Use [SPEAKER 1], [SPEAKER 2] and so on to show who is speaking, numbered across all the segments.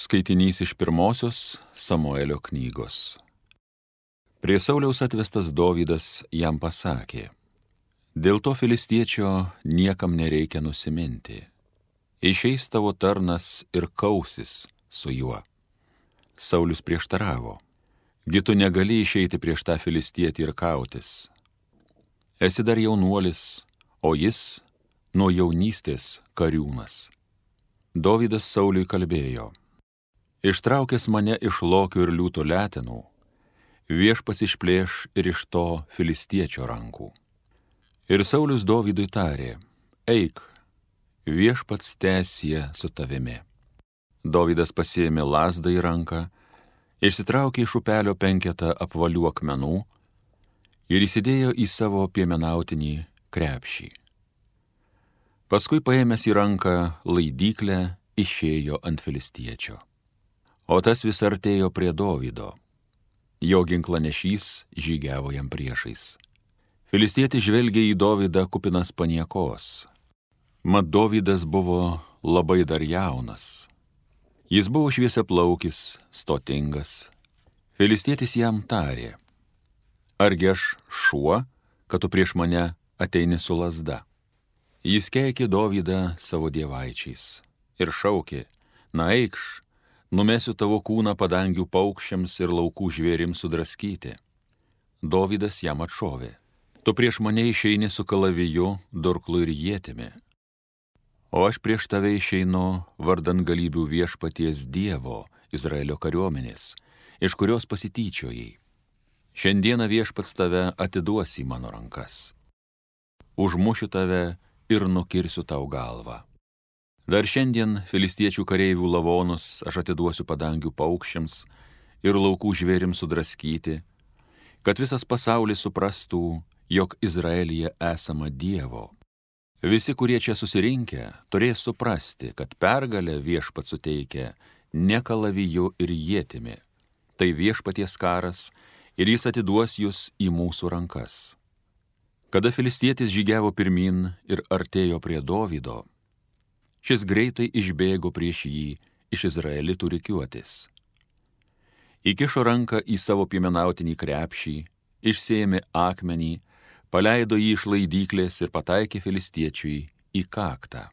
[SPEAKER 1] Skaitinys iš pirmosios Samuelio knygos. Prie Sauliaus atvestas Dovydas jam pasakė: dėl to filistiečio niekam nereikia nusiminti. Išeis tavo tarnas ir kausis su juo. Saulius prieštaravo: gi tu negali išeiti prieš tą filistietį ir kautis. Esi dar jaunuolis, o jis nuo jaunystės kariūnas. Dovydas Sauliui kalbėjo: ištraukęs mane iš lokio ir liūto letenų, viešpats išplėš ir iš to filistiečio rankų. Ir Saulius Dovydui tarė: eik, viešpats tęsie su tavimi. Dovydas pasiėmė lazdą į ranką, išsitraukė iš upelio 5 apvalių akmenų ir įsidėjo į savo piemenautinį krepšį. Paskui paėmęs į ranką laidyklę, išėjo ant filistiečio. O tas vis artėjo prie Dovydo. Jo ginklanešys žygiavo jam priešais. Filistietis žvelgė į Dovydą kupinas paniekos. Mat Dovydas buvo labai dar jaunas. Jis buvo šviesiaplaukis, stotingas. Filistietis jam tarė: argi aš šuo, kad tu prieš mane ateini su lazda? Jis keikė Dovydą savo dievaičiais ir šaukė: na eikš, numesiu tavo kūną padangių paukščiams ir laukų žvėrims sudraskyti. Dovydas jam atšovė: tu prieš mane išeini su kalaviju, durklu ir ietimi, o aš prieš tave išeinu vardan galybių viešpaties Dievo, Izraelio kariuomenės, iš kurios pasityčiojai. Šiandieną viešpats tave atiduos į mano rankas. Užmušiu tave ir nukirsiu tau galvą. Dar šiandien filistiečių kareivių lavonus aš atiduosiu padangių paukščiams ir laukų žvėrims sudraskyti, kad visas pasaulis suprastų, jog Izraelyje esama Dievo. Visi, kurie čia susirinkę, turės suprasti, kad pergalę viešpats suteikia ne kalaviju ir ietimi. Tai viešpaties karas ir jis atiduos jūs į mūsų rankas. Kada filistietis žygiavo pirmin ir artėjo prie Dovydo, šis greitai išbėgo prieš jį iš izraelitų rikiuotės. Įkišo ranką į savo piemenautinį krepšį, išsėmė akmenį, paleido jį iš laidyklės ir pataikė filistiečiui į kaktą.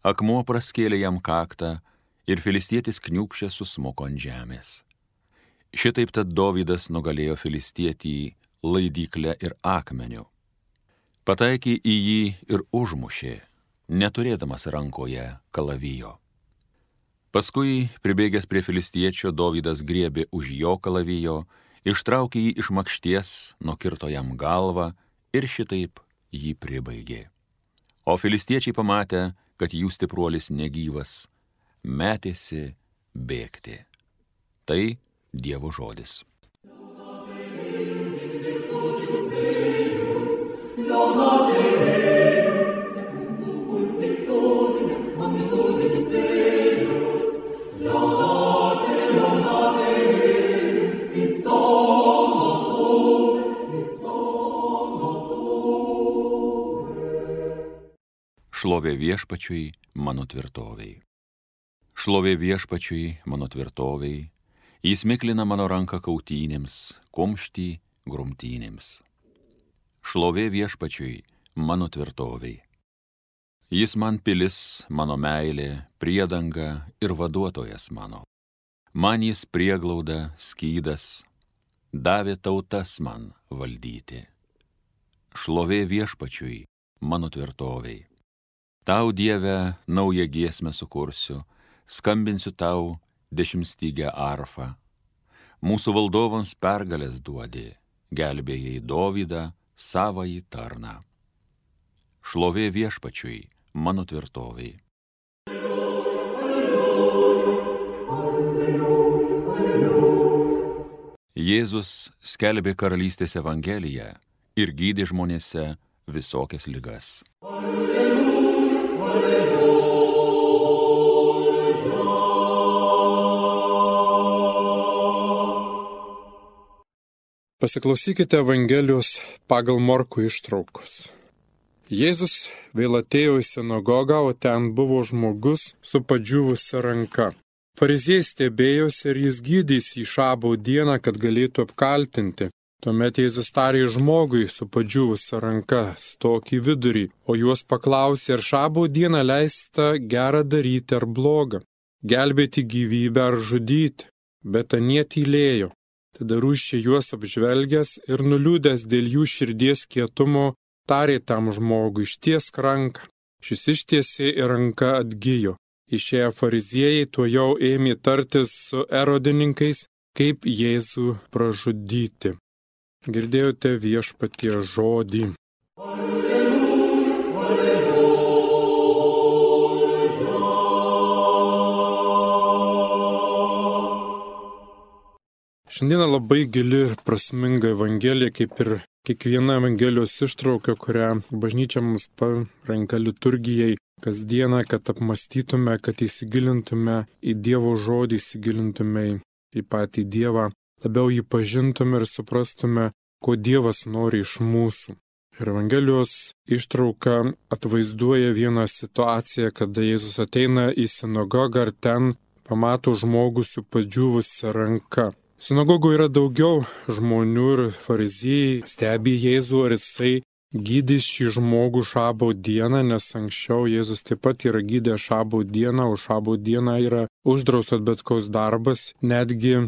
[SPEAKER 1] Akmuo praskėlė jam kaktą ir filistietis kniūbsčias susmuko ant žemės. Šitaip tad Dovydas nugalėjo filistietį laidykle ir akmeniu. Pataikė į jį ir užmušė, neturėdamas rankoje kalavijo. Paskui, pribėgęs prie filistiečio, Dovydas griebė už jo kalavijo, ištraukė jį iš makšties, nukirto jam galvą ir šitaip jį pribaigė. O filistiečiai pamatę, kad jų stipruolis negyvas, metėsi bėgti. Tai Dievo žodis. Šlovė viešpačiui, mano tvirtovei. Šlovė viešpačiui, mano tvirtovei, jis miklina mano ranką kautynėms, kumštį grumtynėms. Šlovė viešpačiui, mano tvirtovei. Jis man pilis, mano meilė, priedanga ir vaduotojas mano. Man jis prieglauda, skydas, davė tautas man valdyti. Šlovė viešpačiui, mano tvirtovei. Tau, Dieve, naują giesmę sukursiu, skambinsiu tau 10-stygę arfą. Mūsų valdovams pergalės duodi, gelbėjai Dovydą, savąjį tarną. Šlovė viešpačiui, mano tvirtovei. Jėzus skelbė karalystės evangeliją ir gydė žmonėse visokias ligas.
[SPEAKER 2] Pasiklausykite Evangelijos pagal Morkų ištraukos. Jėzus vėl atėjo į sinagogą, o ten buvo žmogus su padžiūvusia ranka. Fariziejai stebėjosi, ar jis gydys į šabo dieną, kad galėtų apkaltinti. Tuomet Jėzus tarė žmogui su padžiūvusia ranka, stok į vidurį, o juos paklausė, ar šabo dieną leista gera daryti ar bloga, gelbėti gyvybę ar žudyti. Bet anie tylėjo. Tada rūsčiai juos apžvelgęs ir nuliūdęs dėl jų širdies kietumo, tarė tam žmogui, ištiesk ranką. Šis ištiesė ir ranka atgijo. Išėję fariziejai tuojau ėmė tartis su erodininkais, kaip Jėzų pražudyti. Girdėjote Viešpaties žodį. Šiandieną labai gili ir prasminga Evangelija, kaip ir kiekviena Evangelijos ištrauka, kurią bažnyčia mums parenka liturgijai kasdieną, kad apmastytume, kad įsigilintume į Dievo žodį, įsigilintume į patį Dievą, labiau jį pažintume ir suprastume, ko Dievas nori iš mūsų. Ir Evangelijos ištrauka atvaizduoja vieną situaciją, kada Jėzus ateina į sinagogą ir ten pamato žmogų su padžiūvusia ranka. Sinagogoje yra daugiau žmonių ir fariziejai stebi Jėzų, ar jisai gydys šį žmogų šabo dieną, nes anksčiau Jėzus taip pat yra gydęs šabo dieną, o šabo dieną yra uždraustas bet koks darbas, netgi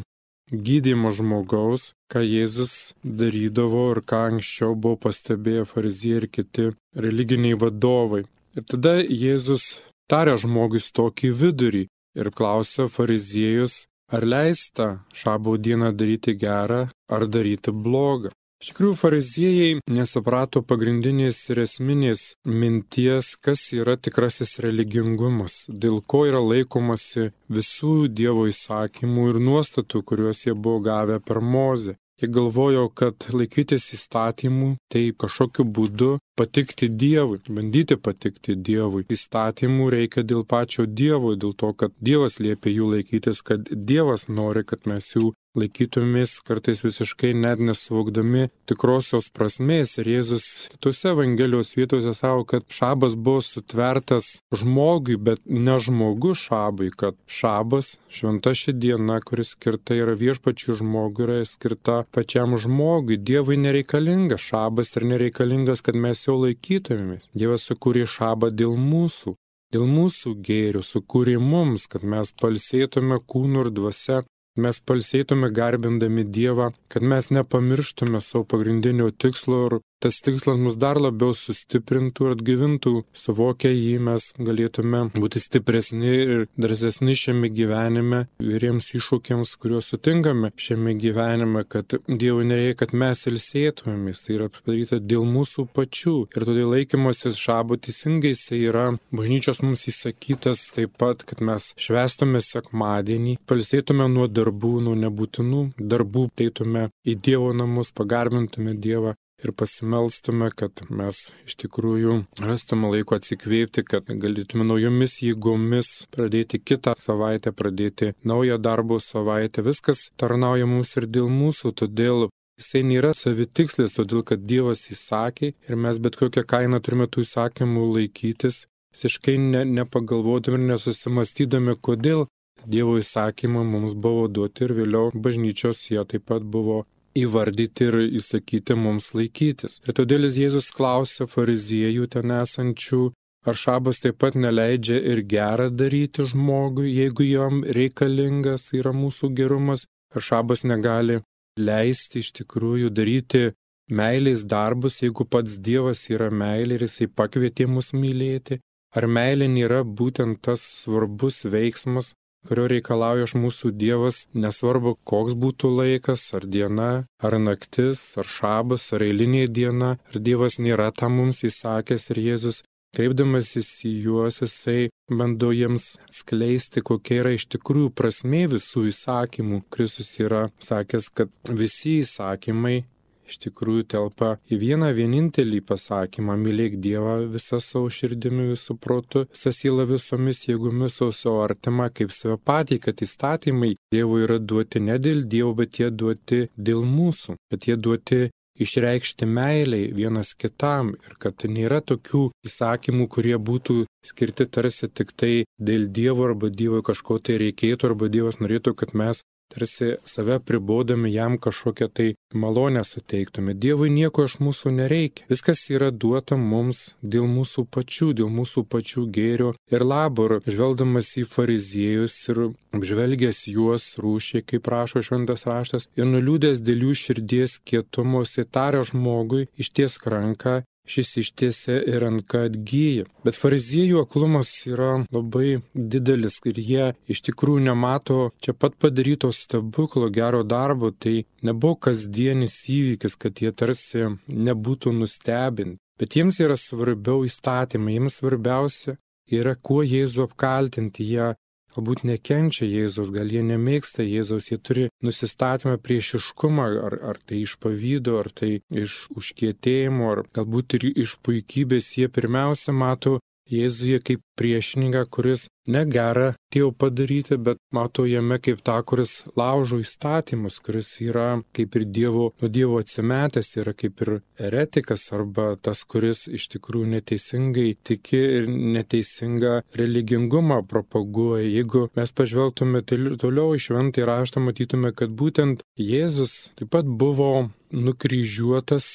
[SPEAKER 2] gydymo žmogaus, ką Jėzus darydavo ir ką anksčiau buvo pastebėję fariziejai ir kiti religiniai vadovai. Ir tada Jėzus tarė žmogui stokį į vidurį ir klausė fariziejus, ar leista šabo dieną daryti gerą ar daryti blogą. Iš tikrųjų, fariziejai nesuprato pagrindinės ir esminės minties, kas yra tikrasis religingumas, dėl ko yra laikomasi visų Dievo įsakymų ir nuostatų, kuriuos jie buvo gavę per Mozę. Jie galvojo, kad laikytis įstatymų tai kažkokiu būdu patikti Dievui, bandyti patikti Dievui. Įstatymų reikia dėl pačio Dievo, dėl to, kad Dievas liepia jų laikytis, kad Dievas nori, kad mes jų laikytumės, kartais visiškai net nesuvokdami tikrosios prasmės. Ir Jėzus kitose Evangelijos vietose sako, kad šabas buvo sutvertas žmogui, bet ne žmogus šabui, kad šabas, šventa ši diena, kuris skirta yra viešpačiui žmogui, yra skirta pačiam žmogui. Dievui nereikalingas šabas ir nereikalingas, kad mes jo laikytumėmės. Dievas sukūrė šabą dėl mūsų gėrių, sukūrė mums, kad mes pailsėtume kūnu ir dvasia. Mes pailsėtume garbindami Dievą, kad mes nepamirštume savo pagrindinio tikslo ir tas tikslas mus dar labiau sustiprintų ir atgyvintų. Suvokę jį mes galėtume būti stipresni ir drąsesni šiame gyvenime, įvairiems iššūkiams, kuriuos sutinkame šiame gyvenime, kad Dievui nereikia, kad mes ilsėtumėmės. Tai yra padaryta dėl mūsų pačių. Ir todėl laikymasis šabo teisingai jisai yra bažnyčios mums įsakytas taip pat, kad mes švęstume sekmadienį, pailsėtume nuo darbų, nuo nebūtinų darbų, eitume į Dievo namus, pagarbintume Dievą ir pasimelstume, kad mes iš tikrųjų rastume laiko atsikvėpti, kad galėtume naujomis jėgomis pradėti kitą savaitę, pradėti naują darbo savaitę. Viskas tarnauja mums ir dėl mūsų, todėl jisai nėra savitikslis, todėl kad Dievas įsakė ir mes bet kokią kainą turime tų įsakymų laikytis, visiškai nepagalvodami ir nesusimastydami, kodėl Dievo įsakymą mums buvo duoti ir vėliau bažnyčios jie taip pat buvo įvardyti ir įsakyti mums laikytis. Ir todėl Jėzus klausė fariziejų ten esančių, ar šabas taip pat neleidžia ir gerą daryti žmogui, jeigu jam reikalingas yra mūsų gerumas, ar šabas negali leisti iš tikrųjų daryti meilės darbus, jeigu pats Dievas yra meilė ir jisai pakvietė mus mylėti, ar meilė nėra būtent tas svarbus veiksmas, kurio reikalauja iš mūsų Dievas, nesvarbu, koks būtų laikas, ar diena, ar naktis, ar šabas, ar eilinė diena, ar Dievas nėra tam mums įsakęs ir Jėzus, kreipdamasis į juos, jisai bando jiems skleisti, kokia yra iš tikrųjų prasmė visų įsakymų. Kristus yra sakęs, kad visi įsakymai iš tikrųjų telpa į vieną vienintelį pasakymą: mylėk Dievą visą savo širdimi, visų protu, visą sielą, visomis jėgomis, savo artimą kaip save patį, kad įstatymai Dievui yra duoti ne dėl Dievo, bet jie duoti dėl mūsų, bet jie duoti išreikšti meiliai vienas kitam ir kad nėra tokių įsakymų, kurie būtų skirti tarsi tik tai dėl Dievo arba Dievo kažko tai reikėtų arba Dievas norėtų, kad mes tarsi save pribodami jam kažkokią tai malonę suteiktume. Dievui nieko iš mūsų nereikia. Viskas yra duota mums dėl mūsų pačių gėrio ir labo. Ir žvelgdamas į fariziejus ir apžvelgęs juos rūšiai, kaip rašo šventas raštas, ir nuliūdęs dėl jų širdies kietumo, jis tarė žmogui, ištiesk ranką. Šis ištiesia ir ranka atgyja. Bet fariziejų aklumas yra labai didelis ir jie iš tikrųjų nemato čia pat padaryto stebuklo, gero darbo. Tai nebuvo kasdienis įvykis, kad jie tarsi nebūtų nustebinti. Bet jiems yra svarbiau įstatymai, jiems svarbiausia yra kuo Jėzų apkaltinti. Jie galbūt nekenčia Jėzaus, gal jie nemėgsta Jėzaus, jie turi nusistatymą priešiškumą, ar tai iš pavydo, ar tai iš užkietėjimo, ar galbūt ir iš puikybės. Jie pirmiausia mato Jėzuje kaip priešininką, kuris negera atėjo padaryti, bet mato jame kaip tą, kuris laužo įstatymus, kuris yra kaip ir nuo Dievo atsimetęs, yra kaip ir eretikas arba tas, kuris iš tikrųjų neteisingai tiki ir neteisingą religingumą propaguoja. Jeigu mes pažvelgtume toliau į šventąjį raštą, matytume, kad būtent Jėzus taip pat buvo nukryžiuotas,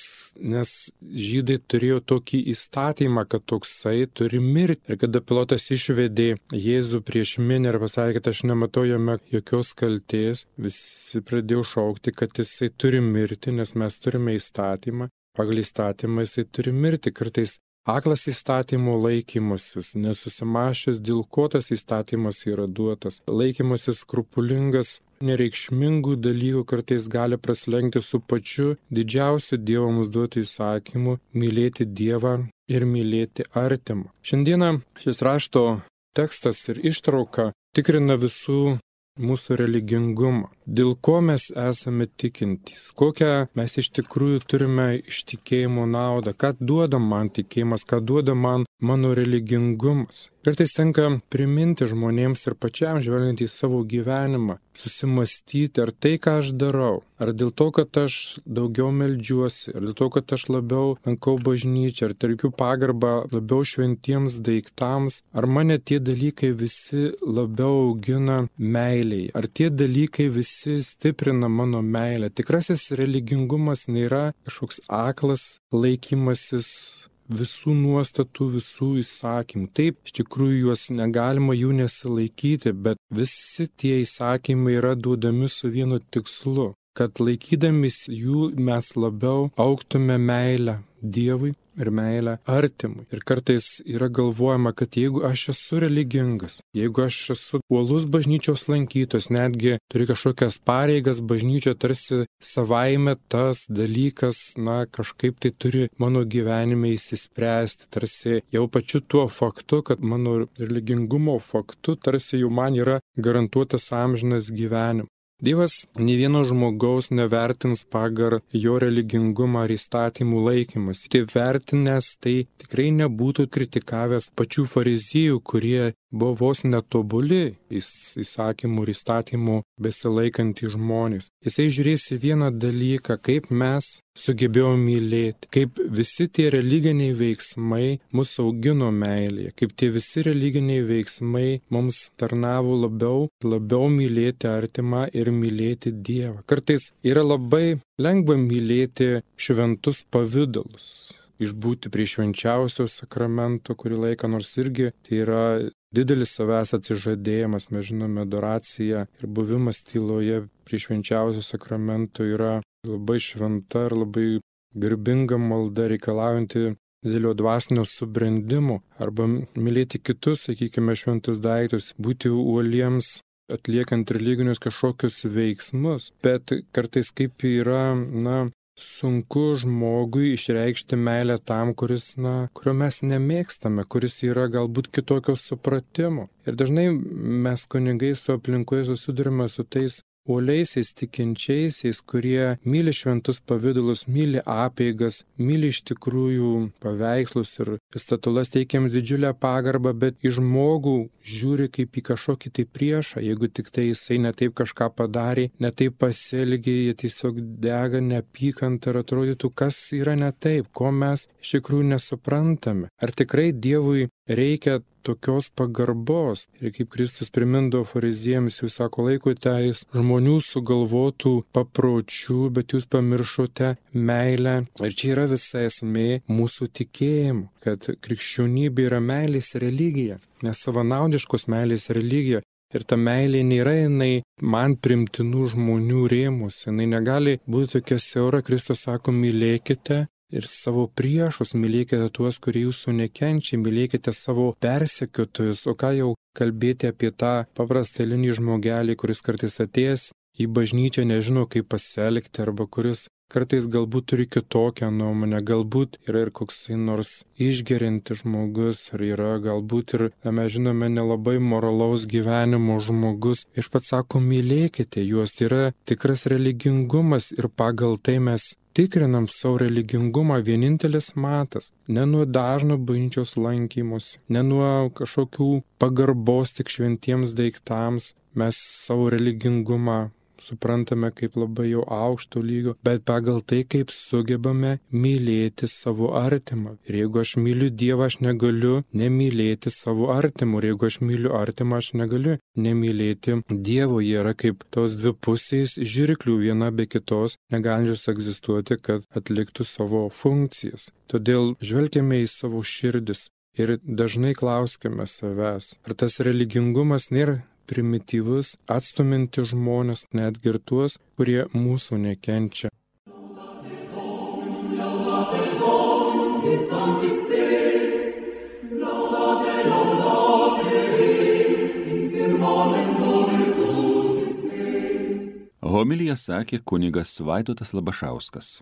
[SPEAKER 2] nes žydai turėjo tokį įstatymą, kad toksai turi mirti. Ir kada Pilotas išvedė Jėzų prieš minią ir pasakė, kad aš nematau jame jokios kaltės, visi pradėjo šaukti, kad jisai turi mirti, nes mes turime įstatymą. Pagal įstatymą jisai turi mirti. Kartais aklas įstatymo laikymasis, nesusimašęs, dėl ko tas įstatymas yra duotas. Laikymasis skrupulingas, nereikšmingų dalykų kartais gali praslenkti su pačiu didžiausiu Dievo mums duotu įsakymu - mylėti Dievą ir mylėti artimą. Šiandieną šis rašto tekstas ir ištrauka tikrina visų mūsų religingumą. Dėl ko mes esame tikintys, kokią mes iš tikrųjų turime iš tikėjimo naudą, ką duoda man tikėjimas, ką duoda man mano religingumas. Kartais tenka priminti žmonėms ir pačiam žvelgiant į savo gyvenimą, susimastyti, ar tai, ką aš darau, ar dėl to, kad aš daugiau meldžiuosi, ar dėl to, kad aš labiau lankau bažnyčią, ar teikiu pagarbą labiau šventiems daiktams, ar mane tie dalykai visi labiau augina meiliai, ar tie dalykai visi stiprina mano meilę. Tikrasis religingumas nėra kažkoks aklas laikymasis visų nuostatų, visų įsakymų. Taip, iš tikrųjų juos negalima jų nesilaikyti, bet visi tie įsakymai yra duodami su vienu tikslu, kad laikydamis jų mes labiau augtume meilę Dievui ir meilę artimui. Ir kartais yra galvojama, kad jeigu aš esu religingas, jeigu aš esu uolus bažnyčios lankytojas, netgi turiu kažkokias pareigas, bažnyčia tarsi savaime tas dalykas, kažkaip tai turi mano gyvenime įsispręsti, tarsi jau pačiu tuo faktu, kad mano religingumo faktu, tarsi jau man yra garantuotas amžinas gyvenimas. Dievas nė vieno žmogaus nevertins pagal jo religingumą ar įstatymų laikymas. Tai vertinęs, tai tikrai nebūtų kritikavęs pačių fariziejų, kurie buvo vos netobuli įsakymų ir įstatymų besilaikantys žmonės. Jisai žiūrės į vieną dalyką, kaip mes sugebėjome mylėti, kaip visi tie religiniai veiksmai mus augino meilėje, kaip tie visi religiniai veiksmai mums tarnavo labiau mylėti artimą ir mylėti Dievą. Kartais yra labai lengva mylėti šventus pavydalus, išbūti prie švenčiausio sakramento kurį laiką, nors irgi tai yra didelis savęs atsižadėjimas, mes žinome, adoracija ir buvimas tyloje prie švenčiausio sakramento yra labai šventa ir labai garbinga malda, reikalaujanti didelio dvasinio subrendimo, arba mylėti kitus, sakykime, šventus daiktus, būti uoliems, atliekant religinius kažkokius veiksmus, bet kartais kaip yra, sunku žmogui išreikšti meilę tam, kurio mes nemėgstame, kuris yra galbūt kitokio supratimo. Ir dažnai mes kunigai su aplinkoje susidurime su tais uoliaisiais tikinčiaisiais, kurie myli šventus pavydalus, myli apeigas, myli iš tikrųjų paveikslus ir statulas, teikiams didžiulę pagarbą, bet į žmogų žiūri kaip į kažkokį tai priešą. Jeigu tik tai jisai netaip kažką padarė, netaip pasielgė, jie tiesiog dega neapykantą ir atrodytų, kas yra ne taip, ko mes iš tikrųjų nesuprantame. Ar tikrai Dievui reikia tokios pagarbos? Ir kaip Kristus primindavo fariziejams, jūs sako, laikotės žmonių sugalvotų papročių, bet jūs pamiršote meilę. Ir čia yra visa esmė mūsų tikėjimo, kad krikščionybė yra meilės religija, nesavanaudiškos meilės religija. Ir ta meilė nėra jinai man primtinų žmonių rėmus, jinai negali būti tokia siaura. Kristus sako, mylėkite ir savo priešus, mylėkite tuos, kurie jūsų nekenčia, mylėkite savo persekiotojus. O ką jau kalbėti apie tą paprastą eilinį žmogelį, kuris kartais atėjęs į bažnyčią nežino, kaip pasielgti, arba kuris kartais galbūt turi kitokią nuomonę, galbūt yra ir koksai nors išgeriantis žmogus, ar yra galbūt ir, mes žinome, nelabai moralaus gyvenimo žmogus. Iš pats sako, mylėkite juos, tai yra tikras religingumas ir pagal tai mes tikrinam savo religingumą. Vienintelis matas, ne nuo dažno bažnyčios lankymus, ne nuo kažkokių pagarbos tik šventiems daiktams, mes savo religingumą suprantame kaip labai jau aukšto lygio, bet pagal tai, kaip sugebame mylėti savo artimą. Ir jeigu aš myliu Dievą, aš negaliu nemylėti savo artimų. Ir jeigu aš myliu artimą, aš negaliu nemylėti Dievo. Jie yra kaip tos dvi pusės žirklių, viena be kitos, negalinčios egzistuoti, kad atliktų savo funkcijas. Todėl žvelgiame į savo širdis ir dažnai klauskime savęs, ar tas religingumas nėra primityvus, atstuminti žmonės, netgi ir tuos, kurie mūsų nekenčia.
[SPEAKER 1] Homiliją sakė kunigas Vaidotas Labašauskas.